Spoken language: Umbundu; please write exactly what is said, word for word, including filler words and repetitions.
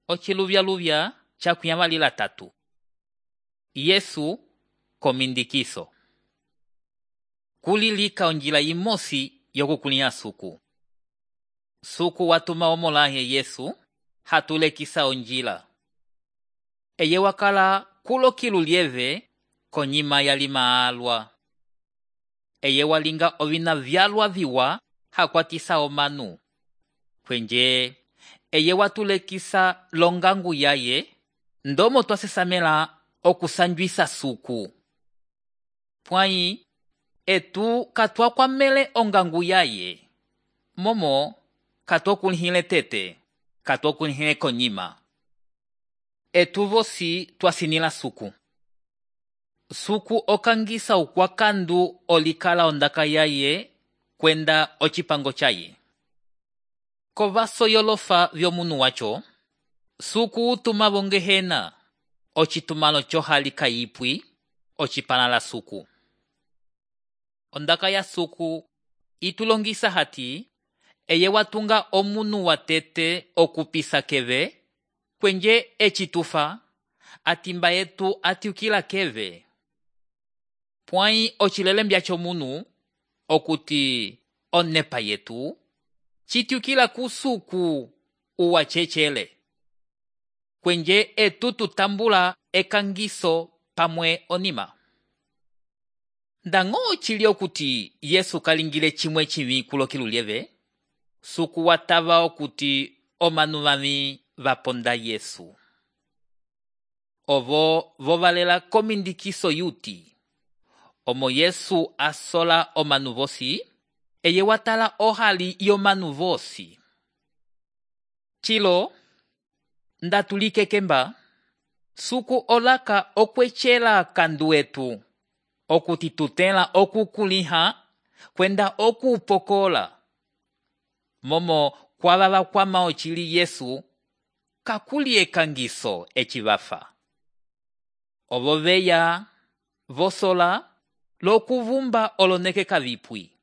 Ociluvya-luvya cakuyamalila tatu. Yesu komindikiso. Kulilika onjila imosi yokukulia suku. Suku watuma omolahe Yesu hatulekisa onjila. Eye wakala kulokilu lieve konyima yalima alwa. Eye walinga ovina vyalwa viwa hakwatisa omanu. Kwenje eye watulekisa longangu yaye ndomo twasesamela okusanjwisa suku. Pwai etu katwa kwa mele ongangu yaye. Momo katwa kulihile tete, katwa kulihile konyima. Etu vosi twasinila suku. Suku okangisa ukwakandu olikala ondaka yaye kwenda ochipango chaye. Kovaso yolofa vyomunu wacho, suku utuma bongehena, ochitumalo chohalika yipwi, ochipalala suku. Ondaka ya suku itulongisa hati, eye watunga omunu watete okupisa keve, kwenje echitufa, atimba yetu atiukila keve. Pwai ochilelembya chomunu, okuti onepa yetu, chitiukila kusuku uwa chechele. Kwenje etu tutambula ekangiso pamwe onima. Ndango chili okuti Yesu kalingile chimwe chivi kulokilu lieve, suku watava okuti omanu vami vaponda Yesu. Ovo vovalela komindikiso yuti. Omo Yesu asola omanu vosi, eye watala ohali yomanu vosi. Chilo, ndatulike kemba, suku olaka okwechela kandu etu, okuti tutela okukuliha, kwenda okupokola. Momo kwa baba kwa maochili Yesu, kakuli ekangiso echivafa. Ovo veya, vosola, lokuvumba oloneke kavipwi.